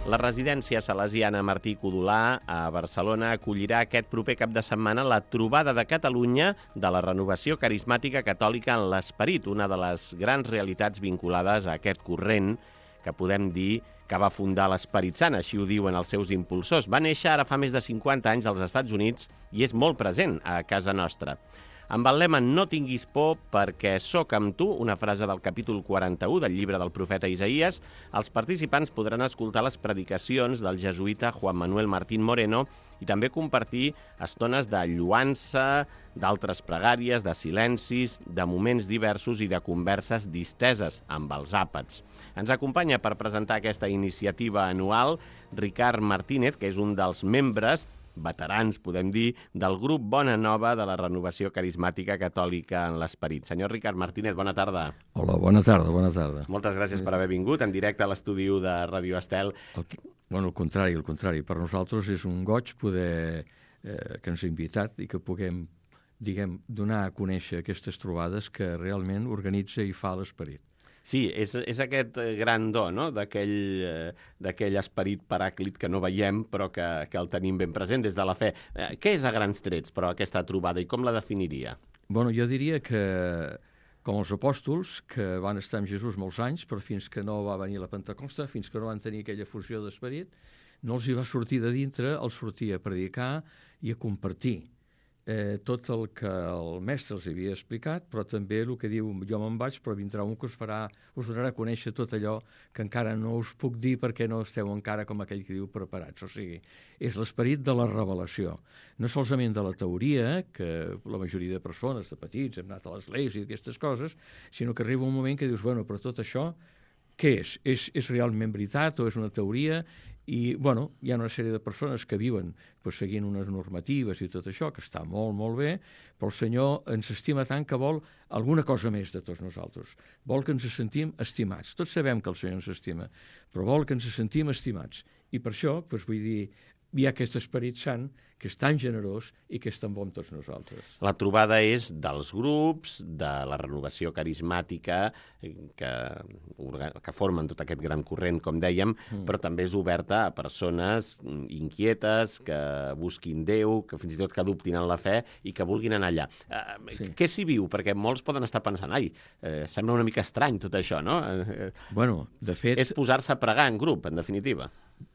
La residència salesiana Martí Codolà a Barcelona acollirà aquest proper cap de setmana la trobada de Catalunya de la renovació carismàtica catòlica en l'esperit, una de les grans realitats vinculades a aquest corrent que podem dir que va fundar l'Esperit Sant, així ho diuen els seus impulsors. Va néixer ara fa més de 50 anys als Estats Units i és molt present a casa nostra. Amb el lema "No tinguis por perquè sóc amb tu", una frase del capítol 41 del llibre del profeta Isaïes, els participants podran escoltar les predicacions del jesuïta Juan Manuel Martín Moreno i també compartir estones de lloança, d'altres pregàries, de silencis, de moments diversos i de converses disteses amb els àpats. Ens acompanya per presentar aquesta iniciativa anual Ricard Martínez, que és un dels membres veterans, podem dir, del grup Bona Nova de la Renovació Carismàtica Catòlica en l'Esperit. Senyor Ricard Martínez, bona tarda. Hola, bona tarda, bona tarda. Moltes gràcies per haver vingut en directe a l'estudi de Radio Estel. Al contrari. Per nosaltres és un goig poder que ens ha invitat i que puguem, donar a conèixer aquestes trobades que realment organitza i fa l'Esperit. Sí, és aquest gran do, no?, d'aquell esperit paràclit que no veiem però que el tenim ben present des de la fe. Què és a grans trets, però, aquesta trobada i com la definiria? Bueno, jo diria que, com els apòstols, que van estar amb Jesús molts anys, però fins que no va venir la Pentecosta, fins que no van tenir aquella fusió d'esperit, no els hi va sortir de dintre, els sortia a predicar i a compartir tot el que el mestre els havia explicat, però també el que diu, jo me'n vaig, però vindrà un que us donarà a conèixer tot allò que encara no us puc dir perquè no esteu encara, com aquell que diu, preparats. O sigui, és l'esperit de la revelació. No solament de la teoria, que la majoria de persones, de petits, hem anat a l'església i aquestes coses, sinó que arriba un moment que dius, bueno, però tot això, què és? És realment veritat o és una teoria? I, bueno, hi ha una sèrie de persones que viuen seguint unes normatives i tot això, que està molt, molt bé, però el Senyor ens estima tant que vol alguna cosa més de tots nosaltres. Vol que ens sentim estimats. Tots sabem que el Senyor ens estima, però vol que ens sentim estimats. I per això, vull dir, hi ha aquest Esperit Sant que és tan generós i que és tan bon amb tots nosaltres. La trobada és dels grups, de la renovació carismàtica que formen tot aquest gran corrent, com dèiem, però també és oberta a persones inquietes, que busquin Déu, que fins i tot que adoptin en la fe i que vulguin anar allà. Sí. Què s'hi viu? Perquè molts poden estar pensant, sembla una mica estrany tot això, no? Bueno, de fet... És posar-se a pregar en grup, en definitiva.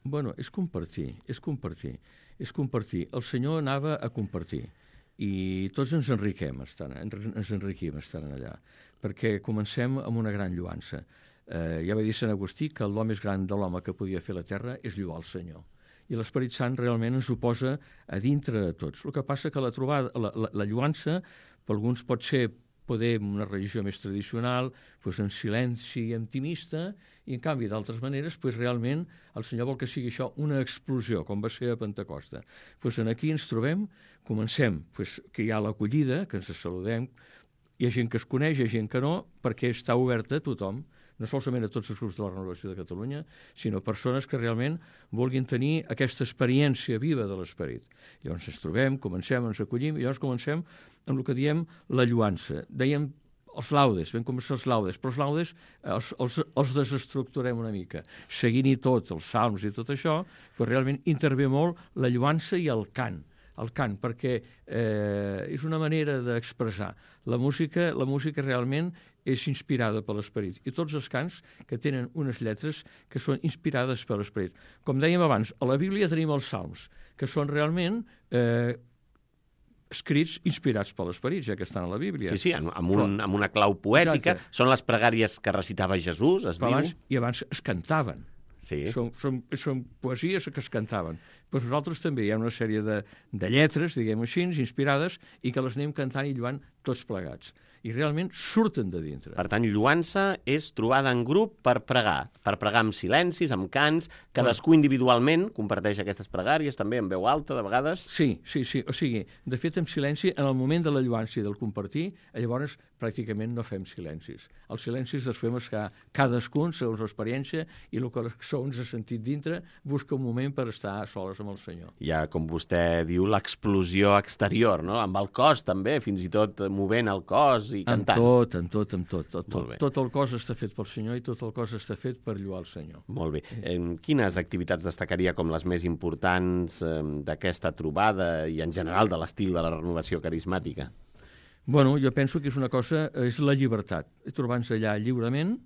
Bueno, és compartir. El Senyor anava a compartir i tots ens enriquim estant allà, perquè comencem amb una gran lloança. Ja va dir Sant Agustí que l'home més gran de l'home que podia fer la terra és lloar el Senyor. I l'Esperit Sant realment ens ho posa a dintre de tots. El que passa que la lloança per alguns pot ser una religió més tradicional, en silenci intimista, i en canvi d'altres maneres realment el Senyor vol que sigui això una explosió, com va ser a Pentecosta. Aquí ens trobem, comencem, que hi ha l'acollida, que ens saludem, hi ha gent que es coneix, hi ha gent que no, perquè està oberta a tothom, no solament a tots els grups de la Renovació de Catalunya, sinó persones que realment vulguin tenir aquesta experiència viva de l'Esperit. Llavors ens trobem, comencem, ens acollim, i llavors comencem amb el que diem la lloança. Dèiem els laudes, vam començar els laudes, però els laudes els desestructurem una mica. Seguint-hi tot, els salms i tot això, realment intervé molt la lloança i el cant, perquè és una manera d'expressar. La música realment és inspirada per l'Esperit. I tots els cants que tenen unes lletres que són inspirades per l'Esperit. Com dèiem abans, a la Bíblia tenim els salms, que són realment escrits inspirats per l'Esperit, ja que estan a la Bíblia. Sí, amb una clau poètica. Exacte. Són les pregàries que recitava Jesús, es diu. I abans es cantaven. Sí. Són poesies que es cantaven. Però nosaltres també hi ha una sèrie de lletres, diguem així, inspirades, i que les anem cantant i lluant tots plegats. I realment surten de dintre. Per tant, lloança és trobada en grup per pregar amb silencis, amb cants, cadascú individualment comparteix aquestes pregàries, també en veu alta, de vegades. Sí. O sigui, de fet, en silenci, en el moment de la lloança i del compartir, llavors pràcticament no fem silencis. Els silencis els fem cadascun, segons l'experiència, i el que ens ha sentit dintre, busca un moment per estar soles amb el Senyor. Hi ha, com vostè diu, l'explosió exterior, no? Amb el cos també, fins i tot movent el cos i cantant. Amb tot. Tot el cos està fet pel Senyor i tot el cos està fet per lloar el Senyor. Molt bé. Quines activitats destacaria com les més importants d'aquesta trobada i en general de l'estil de la renovació carismàtica? Bueno, jo penso que és una cosa, és la llibertat. Trobar-nos allà lliurement,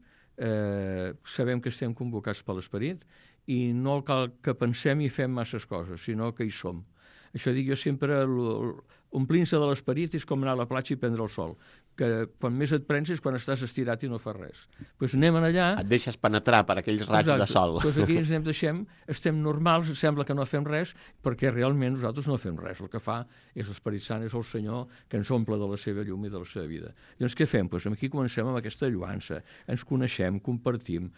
sabem que estem convocats per l'Esperit i no cal que pensem i fem masses coses, sinó que hi som. Això dic jo sempre, omplint-se de l'Esperit és com anar a la platja i prendre el sol, que quan més et prens és quan estàs estirat i no fas res. Doncs anem allà... Et deixes penetrar per aquells raigs de sol. Doncs aquí ens anem deixem, estem normals, sembla que no fem res, perquè realment nosaltres no fem res. El que fa és l'Esperit Sant, és el Senyor que ens omple de la seva llum i de la seva vida. Llavors què fem? Doncs aquí comencem amb aquesta lluança, ens coneixem, compartim,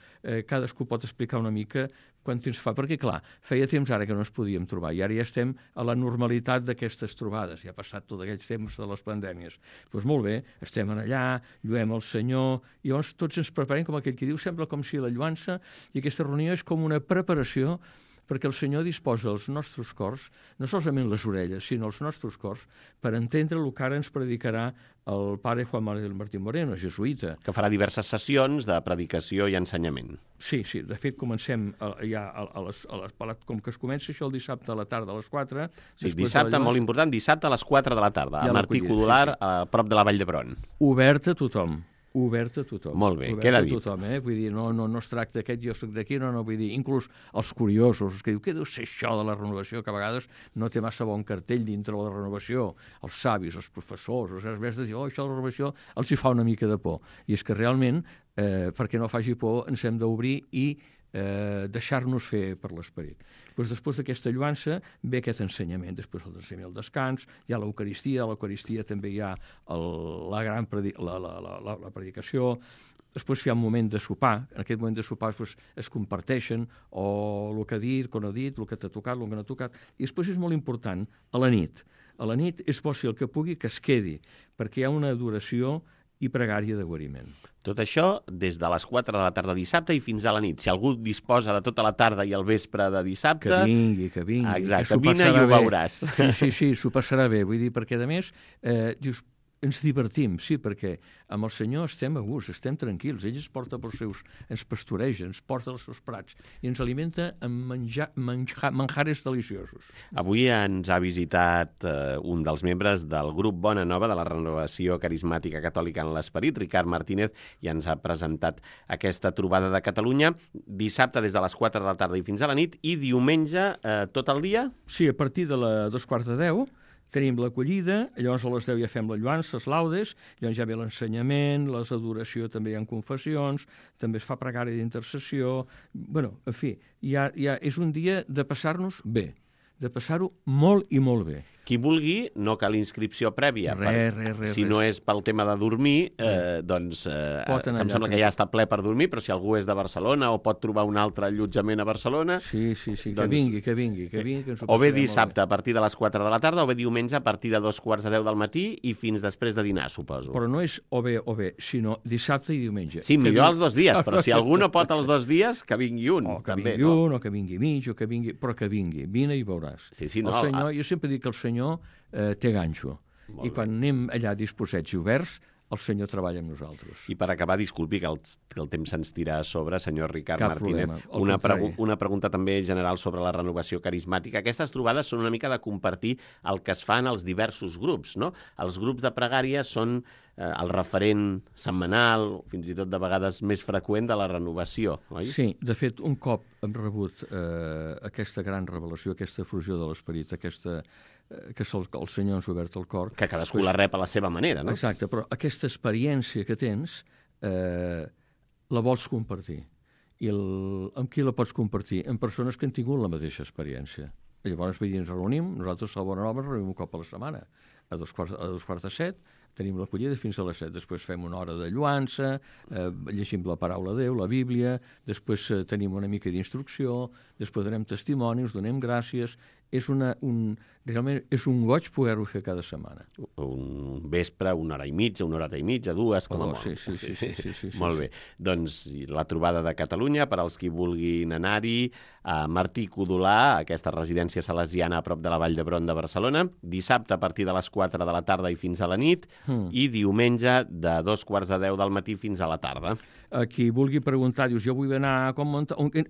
cadascú pot explicar una mica quant temps fa, perquè clar, feia temps ara que no ens podíem trobar i ara ja estem a la normalitat d'aquestes trobades, ja ha passat tot aquells temps de les pandèmies. Doncs molt bé, estem allà, lluem el Senyor, i llavors tots ens preparem, com aquell que diu, sembla com si la lluança i aquesta reunió és com una preparació perquè el Senyor disposa els nostres cors, no solament les orelles, sinó els nostres cors, per entendre el que ara ens predicarà el pare Juan Manuel Martín Moreno, jesuïta. Que farà diverses sessions de predicació i ensenyament. Sí, de fet comencem ja com que es comença això el dissabte a la tarda a les 4. Sí, dissabte, molt important, dissabte a les 4 de la tarda, a Martí Codolar, a prop de la Vall d'Hebron. Obert a tothom. Obert a tothom. Molt bé, queda dit. Tothom, Vull dir, no es tracta aquest, jo soc d'aquí, no, vull dir, inclús els curiosos, que diu, què deu ser això de la renovació, que a vegades no té massa bon cartell dintre de la renovació, els savis, els professors, els mestres diuen, això de la renovació els hi fa una mica de por. I és que realment, perquè no faci por, ens hem d'obrir i deixar-nos fer per l'Esperit. Doncs després d'aquesta lluança ve aquest ensenyament, després el d'ensenyament al descans, hi ha l'Eucaristia, a l'Eucaristia també hi ha la predicació, després hi ha un moment de sopar, en aquest moment de sopar es comparteixen o el que ha dit, com ha dit, el que t'ha tocat, el que no ha tocat, i després és molt important, a la nit és bo si el que pugui que es quedi, perquè hi ha una adoració i pregària de guariment. Tot això des de les 4 de la tarda dissabte i fins a la nit. Si algú disposa de tota la tarda i el vespre de dissabte... Que vingui. Exacte, vine i ho veuràs. Sí, s'ho passarà bé. Vull dir, perquè a més, dius, ens divertim, sí, perquè amb el Senyor estem a gust, estem tranquils. Ell ens porta ens pastoreja, ens porta els seus prats i ens alimenta amb manjares deliciosos. Avui ens ha visitat un dels membres del grup Bona Nova de la Renovació Carismàtica Catòlica en l'Esperit, Ricard Martínez, i ens ha presentat aquesta trobada de Catalunya dissabte des de les 4 de la tarda i fins a la nit i diumenge tot el dia? Sí, a partir de les 2:45 tenim l'acollida, llavors a les 10 ja fem la lluança, les laudes, llavors ja ve l'ensenyament, les adoració, també hi ha confessions, també es fa pregària d'intercessió. Bueno, en fi, és un dia de passar-nos bé, de passar-ho molt i molt bé. Qui vulgui, no cal inscripció prèvia. Res. Si no és pel tema de dormir, doncs em sembla que ja està ple per dormir, però si algú és de Barcelona o pot trobar un altre allotjament a Barcelona... Sí, doncs, que vingui. O bé dissabte a partir de les 4 de la tarda, o bé diumenge a partir de 2:45 del matí i fins després de dinar, suposo. Però no és o bé, sinó dissabte i diumenge. Sí, millor els 2 dies, però si algú no pot els 2 dies, que vingui un. O que també, vingui un, o que vingui mig, però que vingui. Vine i veuràs. Sí, el Senyor, jo sempre dic que el Senyor té ganxo. I quan anem allà disposats i oberts, el Senyor treballa amb nosaltres. I per acabar, disculpi que el temps se'ns tira a sobre, senyor Ricard Martínez. Una pregunta també general sobre la renovació carismàtica. Aquestes trobades són una mica de compartir el que es fa en els diversos grups, no? Els grups de pregària són el referent setmanal, fins i tot de vegades més freqüent de la renovació, oi? Sí, de fet, un cop hem rebut aquesta gran revelació, aquesta fusió de l'Esperit, que el Senyor ens ha obert el cor... Que cadascú la rep a la seva manera, no? Exacte, però aquesta experiència que tens la vols compartir. I amb qui la pots compartir? Amb persones que han tingut la mateixa experiència. Llavors, ens reunim, nosaltres a Bona Nova ens reunim un cop a la setmana, a 2:45, tenim l'acollida fins a les 7. Després fem una hora de lluança, llegim la paraula de Déu, la Bíblia, després tenim una mica d'instrucció, després donem testimonis, donem gràcies. Realment és un goig poder-ho fer cada setmana. Un vespre, 1 hora i mitja, 1 horeta i mitja, 2, com a molt. Sí. Molt bé. Doncs la trobada de Catalunya, per als qui vulguin anar-hi, a Martí Codolar, aquesta residència salesiana a prop de la Vall d'Hebron de Barcelona, dissabte a partir de les 4 de la tarda i fins a la nit, i diumenge de 2:15 del matí fins a la tarda. A qui vulgui preguntar, dius, jo vull anar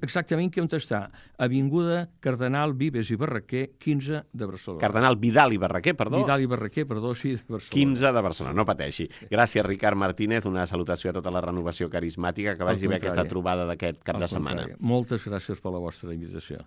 exactament on està. Avinguda Cardenal Vives i Barraquer, 15 de Barcelona. Cardenal Vidal i Barraquer, perdó. Vidal i Barraquer, perdó, sí, de Barcelona. 15 de Barcelona, no pateixi. Gràcies, Ricard Martínez, una salutació a tota la renovació carismàtica, que vagi bé aquesta trobada d'aquest cap de setmana. Moltes gràcies per la vostra invitació.